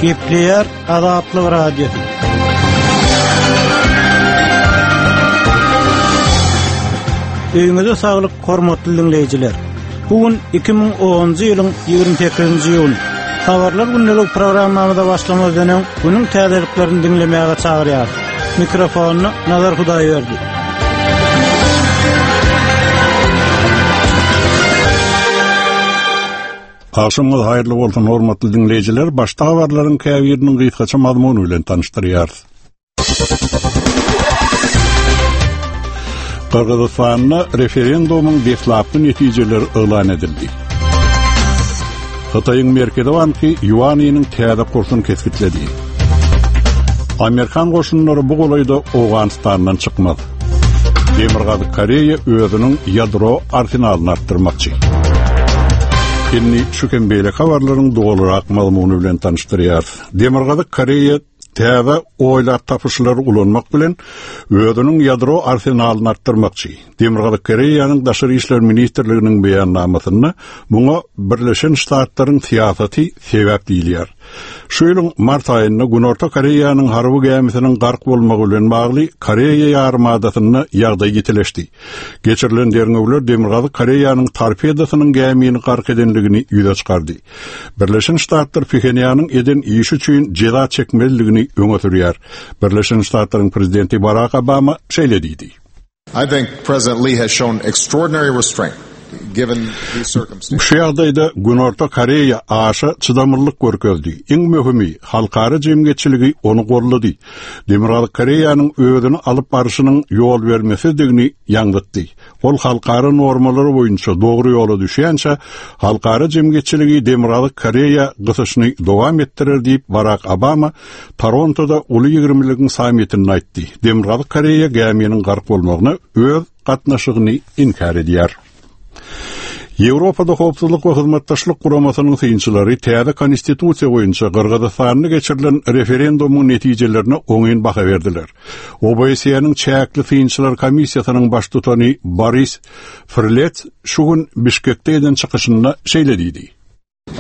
Gepleýär Azatlyk Radiosy. Öýüňize saglyk, hormatly diňleýjiler. Bu gün 2010-njy ýylyň 28-nji iýuny. Habarlar gündelik programmamyza başlamazdan öň, günüň täzeliklerini diňlemäge çagyrýarys. Mikrofonda Nazar Hudaýberdi. Agşamyňyz haýyrly bolsun, hormatly diňleýjiler! Başda habarlaryň käbiriniň gysgaça mazmuny bilen tanyşdyrýarys. Gyrgyzystanda referendumyň deslapky netijeleri yglan edildi. Hytaýyň Merkezi banky ýuanynyň täze kursuny kesgitledi. Amerikan goşunlary bu golaýda Owganystandan çykmaz. Demirgazyk Koreýa özüniň ýadro arsenalyny artdyrmakçy. Indi şu hem beýleki habarlaryň dolurak mazmuny bilen tanyşdyrýarys. Demirgazyk Koreýa täze oýlap tapyşlary ulanmak bilen özüniň ýadro arsenalyny artdyrmakçy. Demirgazyk Koreýanyň Daşary işler ministrliginiň beýannamasynda muňa Birleşen Ştatlaryň syýasaty sebäp diýilýär. Şu ýylyň mart aýynda Günorta Koreýanyň harby gämisiniň gark bolmagy bilen bagly Koreýa ýarymadasynda ýagdaý ýitileşdi. Geçirilen derňewler Demirgazyk Koreýanyň torpedosynyň gämini gark edendigini ýüze çykardy. Birleşen Ştatlar Phenýanyň eden işi üçin jeza çekmelidigini öňe sürýär. Birleşen Ştatlaryň prezidenti Barak Obama şeýle diýdi. I think President Lee has shown extraordinary restraint given these circumstances. Şu ýagdaýda Günorta Koreýa aşa çydamlylyk görkezdi. Iň möhümi, halkara jemgyýetçiligi ony goldady. Demirgazyk Koreýanyň özüni alyp barşynyň ýolbermesizdigini ýaňzytdy. Ol halkara normalary boýunça dogry ýola düşýänçä, halkara jemgyýetçiligi Demirgazyk Koreýa gysyşyny dowam etdirer diýip, Barak Obama Torontoda Uly ýigrimiligiň sammitinde aýtdy. Demirgazyk Koreýa gäminiň gark bolmagyna öz gatnaşygyny inkär edýär. Ýewropada Howpsuzlyk we Hyzmatdaşlyk Guramasynyň synçylary täze Konstitusiýa boýunça Gyrgyzystanda geçirilen referendumyň netijelerine oňyn baha berdiler. OBSE-niň çäkli synçylar komissiýasynyň baştutany Boris Frlets şu gün Bişkekde eden çykyşynda şeýle diýdi.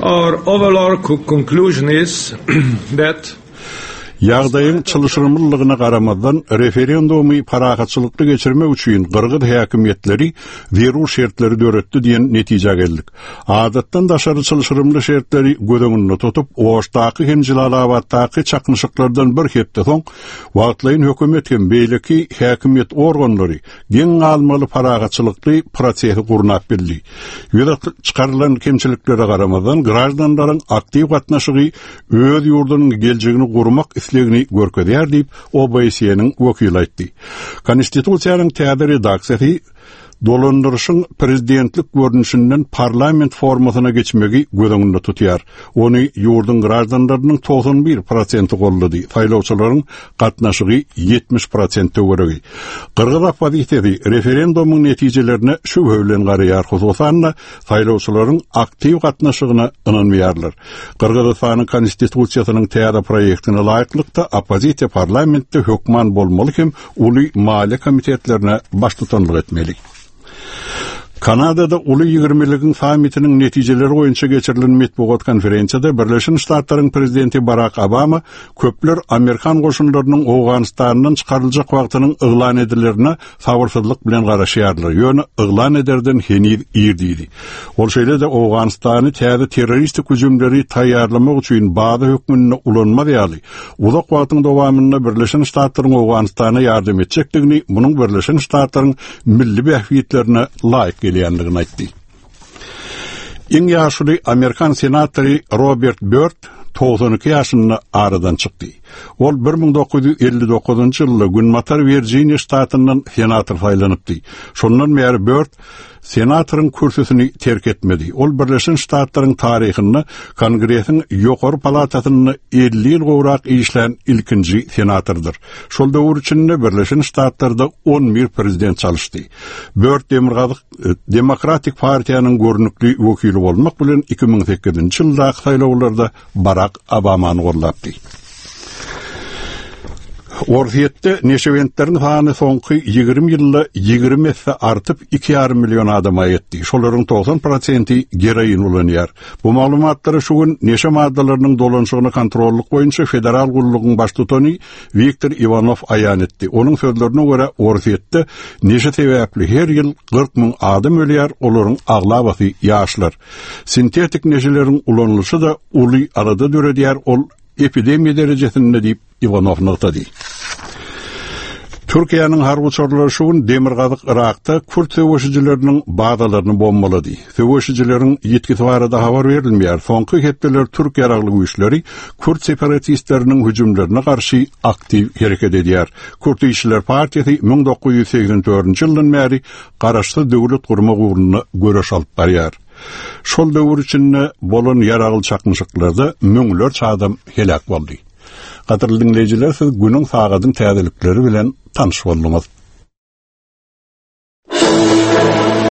Our overall conclusion is that Ýagdaýyň çylşyrymlylygyna garamazdan, referendumy parahatçylykly geçirmek üçin gyrgyz häkimiýetleri zerur şertleri döretdi diýen netijä geldik. Adatdan daşary çylşyrymly şertleri göz öňünde tutup, Oşdaky hem Jelalabatdaky çaknyşyklardan bir hepde soň, wagtlaýyn hökümet hem beýleki häkimiýet organlary geň galmaly parahatçylykly prosesi gurnap bildi. Ýüze çykarylan kemçiliklere garamazdan, graždanlaryň aktiw gatnaşygy öz ýurdunyň geljegini gurmak islegini görkezýär diýip, OBSE-niň wekili aýtdy. Konstitusiýanyň täze redaksiýasy dolandyryşyň prezidentlik görnüşinden parlament formasyna geçmegi göz öňünde tutýar. Ony ýurduň graždanlarynyň 91 prosenti goldady, saýlawçylaryň gatnaşygy 70 prosent töweregi. Gyrgyz oppozisiýasy referendumyň netijelerine şübhe bilen garaýar, hususan-da, saýlawçylaryň aktiw gatnaşygyna ynanmaýarlar. Gyrgyzystanyň Konstitusiýasynyň täze proýektine laýyklykda, oppozisiýa parlamentde hökman bolmaly hem uly maliýe komitetlerine baştutanlyk etmeli. Kanadada Uly ýigrimiligiň sammitiniň netijeleri boýunça geçirilen metbugat konferensiýada Birleşen Ştatlaryň prezidenti Barak Obama köpler amerikan goşunlarynyň Owganystandan çykaryljak wagtynyň yglan edilerine sabyrsyzlyk bilen garaşýarlar, ýöne yglan ederden heniz ir diýdi. Ol şeýle-de Owganystany täze terroristik hüjümleri taýýarlamak üçin baza hökmünde ulanmaz ýaly, uzak wagtyň dowamynda Birleşen Ştatlaryň Owganystana ýardam etjekdigini, munuň Birleşen Ştatlaryň milli bähbitlerine laýyk gelýändigini aýtdy. Iň ýaşuly amerikan senatory Robert Börd 92 ýaşynda aradan çykdy. Ol 1959-njy ýylda Günbatar Wirjiniýa ştatyndan senator saýlanypdy. Şondan bäri Börd Senatoryň kürsüsini terk etmedi. Ol Birleşen Ştatlaryň taryhynda Kongresiň ýokary palatasynda 50 ýyl gowrak işlän ilkinji senatordyr. Şol döwür içinde Birleşen Ştatlarda 11 prezident çalyşdy. Börd Demirgazyk e, Demokratik partiýanyň görnükli wekili bolmak bilen 2008-nji ýyldaky saýlawlarda Barak Obamany goldapdy. Orsýetde neşebentleriň sany soňky 20 ýylda 20 esse artyp, 2,5 million adama ýetdi. Şolaryň 90 prosenti geroin ulanýar. Bu maglumatlary şu gün neşe maddalarynyň dolanyşygyny kontrollyk boýunça federal gullugyň baştutany Wiktor Iwanow aýan etdi. Onuň sözlerine görä, Orsýetde neşe sebäpli her ýyl 40 müň adam ölýär, olaryň aglabasy ýaşlar. Sintetik neşeleriň ulanylyşy-da uly alada döredýär, ol epidemiýa derejesinde diýip, Iwanow nygtady. Türkiýäniň harby uçarlary şu gün demirgazyk Yrakda kürt söweşijileriniň bazalaryny bombalady. Söweşijileriň ýitgisi barada habar berilmeýär. Soňky hepdeler türk ýaragly güýçleri kürt separatistleriniň hüjümlerine garşy aktiw hereket edýär. Kürt işçiler partiýasy 1984-nji ýyldan bäri garaşsyz döwlet gurmak ugrunda göreş alyp barýar. Şol döwür içinde bolan ýaragly çaknyşyklarda müňlerçe adam heläk boldy. Gadyrly diňleýjiler, siz günüň sagadyň täzelikleri bilen tanyş bolduňyz.